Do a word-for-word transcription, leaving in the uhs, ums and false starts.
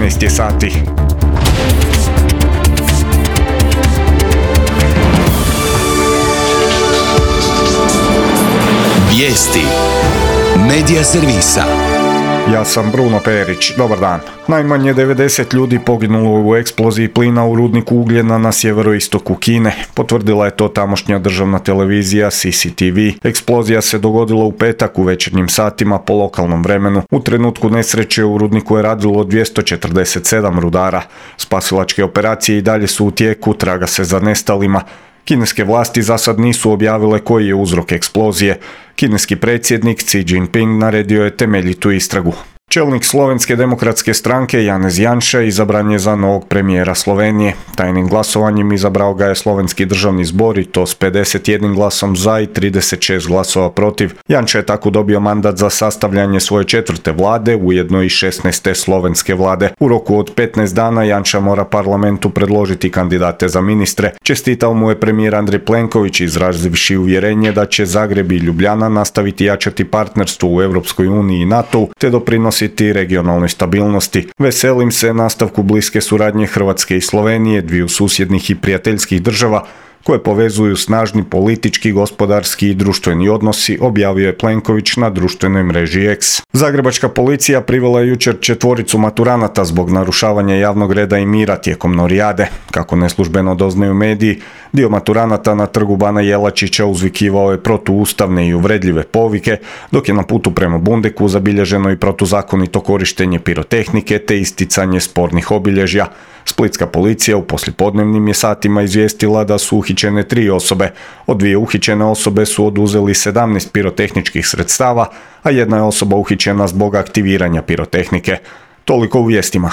šesnaest je sati. Vijesti Medija servisa. Ja sam Bruno Perić, dobar dan. Najmanje devedeset ljudi poginulo u eksploziji plina u rudniku ugljena na sjeveroistoku Kine. Potvrdila je to tamošnja državna televizija C C T V. Eksplozija se dogodila u petak u večernjim satima po lokalnom vremenu. U trenutku nesreće u rudniku je radilo dvjesto četrdeset sedam rudara. Spasilačke operacije i dalje su u tijeku, traga se za nestalima. Kineske vlasti za sad nisu objavile koji je uzrok eksplozije. Kineski predsjednik Xi Jinping naredio je temeljitu istragu. Čelnik Slovenske demokratske stranke Janez Janša izabran je za novog premijera Slovenije. Tajnim glasovanjem izabrao ga je Slovenski državni zbor i to s pedeset jedan glasom za i trideset šest glasova protiv. Janša je tako dobio mandat za sastavljanje svoje četvrte vlade, ujedno i šesnaeste slovenske vlade. U roku od petnaest dana Janša mora parlamentu predložiti kandidate za ministre. Čestitao mu je premijer Andrej Plenković, izrazivši uvjerenje da će Zagreb i Ljubljana nastaviti jačati partnerstvo u Europskoj uniji i NATO-u te doprinositi regionalnoj stabilnosti. Veselim se nastavku bliske suradnje Hrvatske i Slovenije, dviju susjednih i prijateljskih država koje povezuju snažni politički, gospodarski i društveni odnosi, objavio je Plenković na društvenoj mreži X. Zagrebačka policija privela je jučer četvoricu maturanata zbog narušavanja javnog reda i mira tijekom norijade. Kako neslužbeno doznaju mediji, dio maturanata na trgu Bana Jelačića uzvikivao je protuustavne i uvredljive povike, dok je na putu prema Bundeku zabilježeno i protuzakonito korištenje pirotehnike te isticanje spornih obilježja. Splitska policija u poslijepodnevnim je satima izvijestila da su uhićene tri osobe. Od dvije uhićene osobe su oduzeli sedamnaest pirotehničkih sredstava, a jedna je osoba uhićena zbog aktiviranja pirotehnike. Toliko u vijestima.